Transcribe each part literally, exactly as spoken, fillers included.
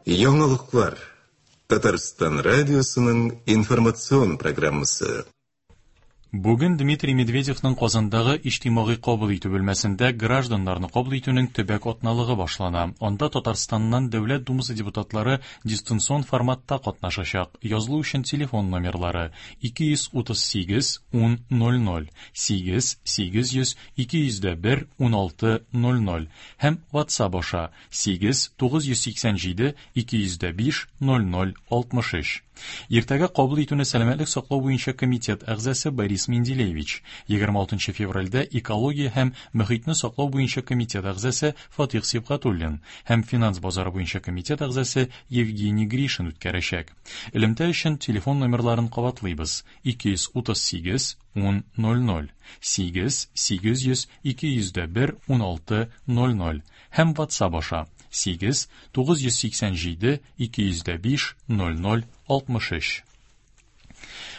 Яңалыклар. Татарстан радиосының информацион программасы. Бүген Дмитрий Медведевның Казандагы иҗтимагый кабул итү бүлмәсендә гражданнарны кабул итүнең төбәк атналыгы башлана. Анда Татарстаннан Дәүләт Думасы депутатлары дистанцион форматта катнашачак. Язылу өчен телефон номерлары ике йөз утыз сигез ун ноль ноль, сигез сигез йөз ике йөз дә бер ун алты ноль ноль һәм WhatsApp аша сигез тугыз йөз сиксән җиде ике йөз дә биш ноль ноль алтмыш өч. Иртәгә кабул итүне сәламәтлек саклау буенча комитет әгъзасы Борис Менделеевич, егерме алтынчы февральдә экология һәм мөхитне саклау буенча комитет әгъзасы Фатих Сибгатуллин һәм финанс базары буенча комитет әгъзасы Евгений Гришин үткәрәчәк. Элемтә өчен телефон номерларын кабатлыйбыз: ике йөз утыз сигез ун ноль ноль, сигез сигез йөз ике йөз дә бер ун алты ноль ноль һәм WhatsApp аша сигез тугыз йөз сиксән җиде ике йөз дә биш ноль ноль алтмыш өч.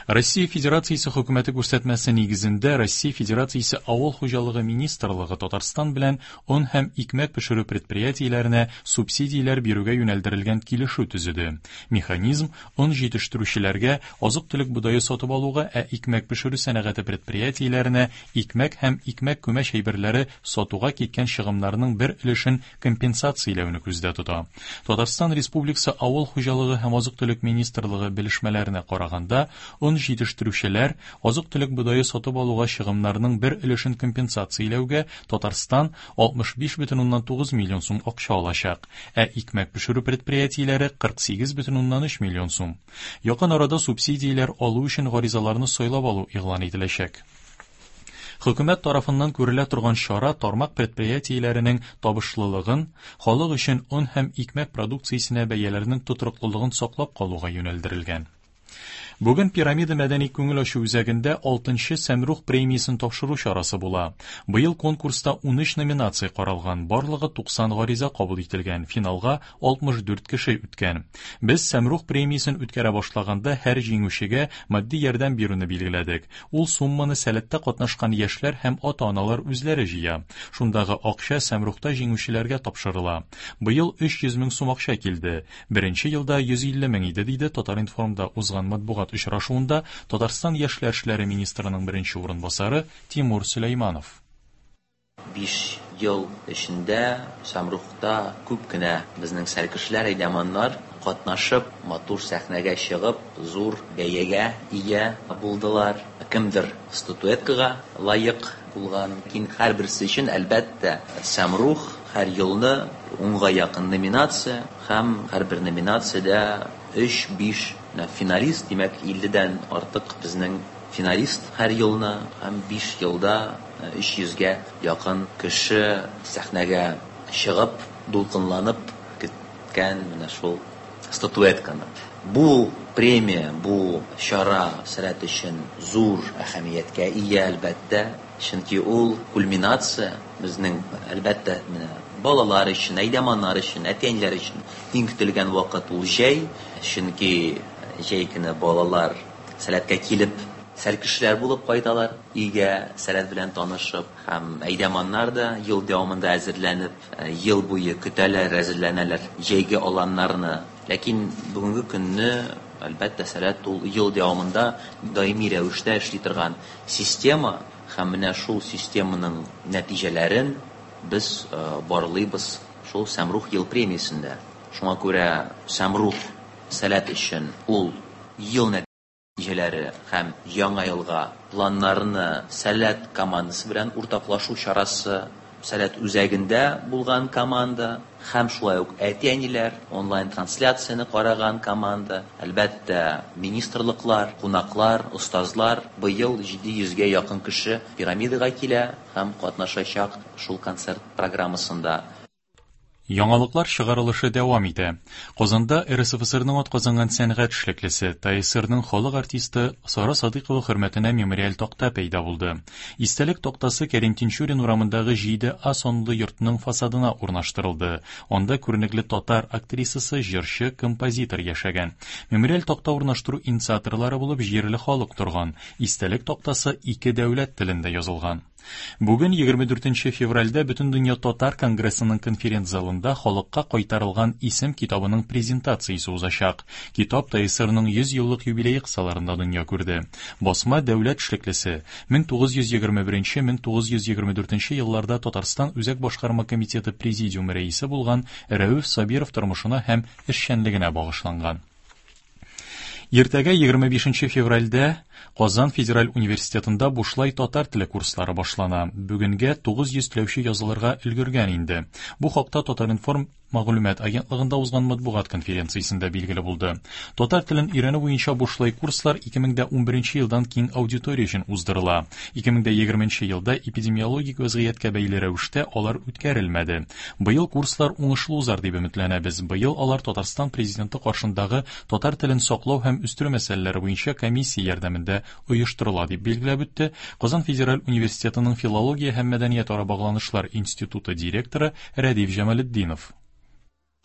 Россия Федерациясе хөкүмәте күрсәтмәсе нигезендә Россия Федерациясе Авыл хуҗалыгы министрлыгы Татарстан белән он һәм икмәк пешерү предприятиеләренә субсидияләр бирүгә юнәлдерелгән килешү төзеде. Механизм он җитештерүчеләргә азык-төлек бодае сатып алуга, ә икмәк пешерү сәнәгате предприятиеләренә икмәк һәм икмәк күмәч әйберләре сатуга киткән чыгымнарның бер өлешен компенсацияләүне күздә тота. Татарстан Республикасы Авыл хуҗалыгы һәм азык-төлек министрлыгы белешмәләренә караганда, он җитештерүчеләр азык-төлек бодае сатып алуга чыгымнарның бер өлешен компенсацияләүгә Татарстан алтмыш биш бөтен уннан тугыз миллион сум акча алачак, ә икмәк пешерү предприятиеләре кырык сигез бөтен уннан өч миллион сум. Якын арада субсидияләр алу өчен гаризаларны сайлап алу игълан ителәчәк. Хөкүмәт тарафыннан күрелә торган чара тармак предприятиеләренең табышлылыгын, халык өчен он һәм икмәк продукциясенә бәяләрнең тотрыклылыгын саклап калуга юнәлдерелгән. Бүген Пирамида мәдәни күңел ачу үзәгендә алтынчы Сәмрух премиясен тапшыру чарасы була. Быел конкурста ун өч номинация каралган, барлыгы туксан гариза кабул ителгән, финалга алтмыш дүрт кеше үткән. Без Сәмрух премиясен үткәрә башлаганда һәр җиңүчегә матди ярдәм бирүне билгеләдек. Ул сумманы сәләттә катнашкан яшьләр һәм ата-аналар үзләре җыя. Шундагы акча Сәмрухта җиңүчеләргә тапшырыла. Быел өч йөз мең сум акча килде. Беренче елда йөз илле мең иде, диде Татар-информда узган матбугат очрашуында Татарстан Яшьләр эшләре министрының беренче урынбасары Тимур Сөләйманов. Биш ел эчендә Сәмрухта күп кенә безнең сәркешләр, әйдәманнар катнашып, матур сәхнәгә чыгып, зур бәягә ия булдылар. Кемдер статуэткага лаек булган. Ләкин һәрберсе өчен, әлбәттә, Сәмрух һәр елны унга якын номинация һәм һәрбер номинациядә өч-биш финалист, димәк, илледән артык безнең финалист һәр елны һәм биш елда өч йөзгә якын кеше сәхнәгә чыгып, дулкынланып көткән менә шул статуэтканы. Бу премия, бу чара сәләт өчен зур әһәмияткә ия, әлбәттә, чөнки ул кульминация безнең, әлбәттә, менә балалар өчен, әйдәманнар өчен, әти-әниләр өчен иң көтелгән вакыт ул җәй, чөнки җәй көне балалар сәләткә килеп, сәркешләр булып кайталар, өйгә сәләт белән танышып, һәм әйдәманнар да ел дәвамында әзерләнеп, ел буе көтәләр, әзерләнәләр җәйге аланнарны. Ләкин бүгенге көнне, әлбәттә, сәләт ул ел дәвамында даими рәвештә эшли торган система, һәм менә шул системаның нәтиҗәләрен без, э, барлыйбыз шул Сәмрух ел премиясендә. Шуңа күрә Сәмрух сәләт өчен ул ел нәтиҗәләре һәм яңа елга планнарны сәләт командасы белән уртаклашу чарасы, сәләт үзәгендә булган команда һәм шулай ук әти-әниләр онлайн трансляцияне караган команда, әлбәттә, министрлыклар, кунаклар, остазлар. Быел җиде йөзгә якын кеше пирамидага килә һәм катнашачак шул концерт программасында. Яңалыклар чыгарылышы дәвам итә. Казанда эр эс эф эс эрның атказанган сәнгать эшлеклесе, тэ эс эрның халык артисты Сара Садыйкова хөрмәтенә мемориаль такта пәйда булды. Истәлек тактасы Кәрим Тинчурин урамындагы җиде А санлы йортның фасадына урнаштырылды. Анда күренекле татар актрисасы, җырчы, композитор яшәгән. Мемориаль такта урнаштыру инициаторлары булып җирле халык торган. Истәлек тактасы ике дәүләт телендә язылган. Бүген егерме дүртенче февральдә Бөтендөнья татар конгрессының конференц-залында халыкка кайтарылган исем китабының презентациясе узачак. Китап ТСРның йөз еллык юбилее кысаларында дөнья күрде. Басма дәүләт эшлеклесе мең тугыз йөз егерме беренче мең тугыз йөз егерме дүртенче елларда Татарстан Үзәк башкарма комитеты президиумы рәисе булган Рәүф Сабиров тормышына һәм эшчәнлегенә багышланган. Иртәгә егерме бишенче февральдә Казан федераль университетында бушлай татар теле курслары башлана. Бүгенгә тугыз йөз теләүче язылырга өлгергән инде. Бу хакта Татар-информ мәгълүмат агентлыгында узган матбугат конференциясендә билгеле булды. Татар телен өйрәнү буенча бушлай курслар ике мең дә унберенче елдан киң аудитория өчен уздырыла. Ике мең дә егерменче елда эпидемиологик вазгыятькә бәйле рәвештә алар үткәрелмәде. Быел курслар уңышлы узар дип өметләнәбез. Быел алар Татарстан президенты каршындагы татар телен саклау һәм үстерү мәсьәләләре буенча комиссия ярдәмендә оештырыла дип билгеләп үтте Казан федераль университетының филология һәм мәдәният ара багланышлар институты директоры Рәдиф Җамалетдинов.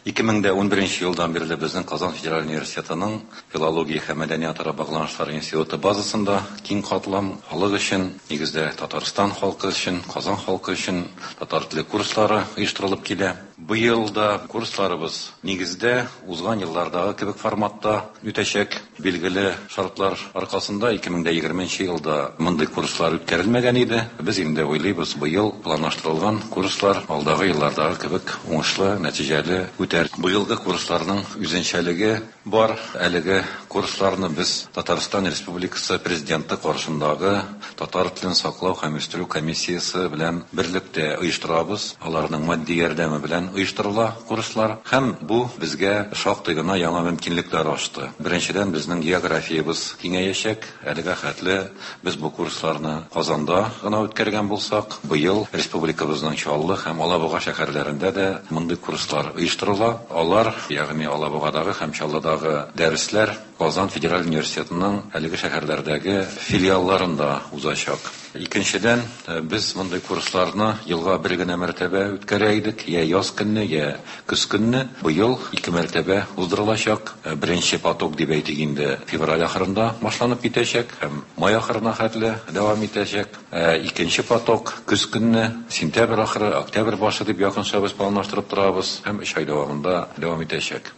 Ике мең дә унберенче елдан бирле безнең Казан федераль университетының филология һәм мәдәният ара багланышлар институты базасында киң катлам халык өчен, нигездә Татарстан халкы өчен, Казан халкы өчен татар теле курслары оештырылып килә. Быел да курсларыбыз нигездә узган еллардагы кебек форматта үтәчәк. Билгеле шартлар аркасында ике мең дә егерменче елда мондый курслар үткәрелмәгән иде. Без инде уйлыйбыз, быел планлаштырылган курслар алдагы еллардагы кебек уңышлы, нәтиҗәле үтәр. Быелгы курсларның үзенчәлеге бар. Әлеге курсларны без Татарстан Республикасы Президенты каршындагы татар телен саклау һәм үстерү комиссиясе белән берлектә оештырабыз. Аларның матди ярдәме белән оештырыла курслар һәм бу безгә шактый гына яңа мөмкинлекләр ачты. Беренчедән, безнең географиябез киңәячәк. Әлегә хәтле без бу курсларны Казанда гына үткәргән булсак, быел республикабызның Чаллы һәм Алабуга шәһәрләрендә дә мондый курслар оештырыла. Алар, ягъни Алабугадагы һәм Чаллыдагы дәресләр Казан федераль университетының әлеге шәһәрләрдәге филиалларында узачак. Икенчедән, без мондый курсларны елга бер генә мәртәбә үткәрә идек, я яз көнне, я көз көнне. Быел ике мәртәбә уздырылачак. Беренче поток дип әйтик инде февраль ахырында башланып китәчәк һәм май ахырына хәтле дәвам итәчәк. Икенче поток көз көнне, сентябрь ахыры, октябрь башы дип якынча без планлаштырып торабыз һәм өч ай дәвамында дәвам итәчәк.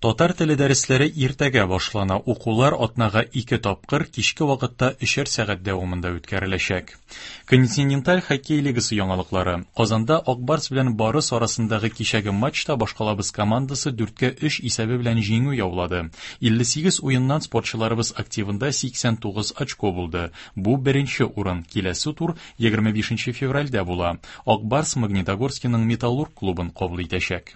Татар теле дәресләре иртәгә башлана. Укулар атнага ике тапкыр кичке вакытта өчәр сәгать дәвамында үткәреләчәк. Континенталь хоккей лигасы яңалыклары. Казанда Ак Барс белән Барыс арасындагы кичәге матчта башкалабыз командасы дүрткә өч исәбе белән җиңү яулады. Илле сигез уеннан спортчыларыбыз активында сиксән тугыз очко булды. Бу беренче урын. Киләсе тур егерме бишенче февральдә була. Ак Барс Магнитогорскиның Металлург клубын кабул итәчәк.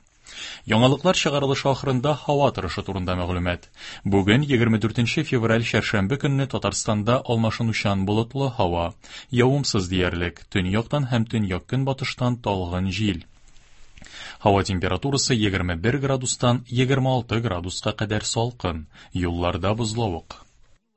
Яңалыклар чыгарылышы ахырында һава торышы турында мәгълүмат. Бүген егерме дүртенче февраль чәршәмбе көнне Татарстанда алмашынучан болытлы һава, явымсыз диярлек, төньяктан һәм төньяк-көнбатыштан талгын җил. Һава температурасы егерме бер градустан егерме алты градуска кадәр салкын, юлларда бозлавык.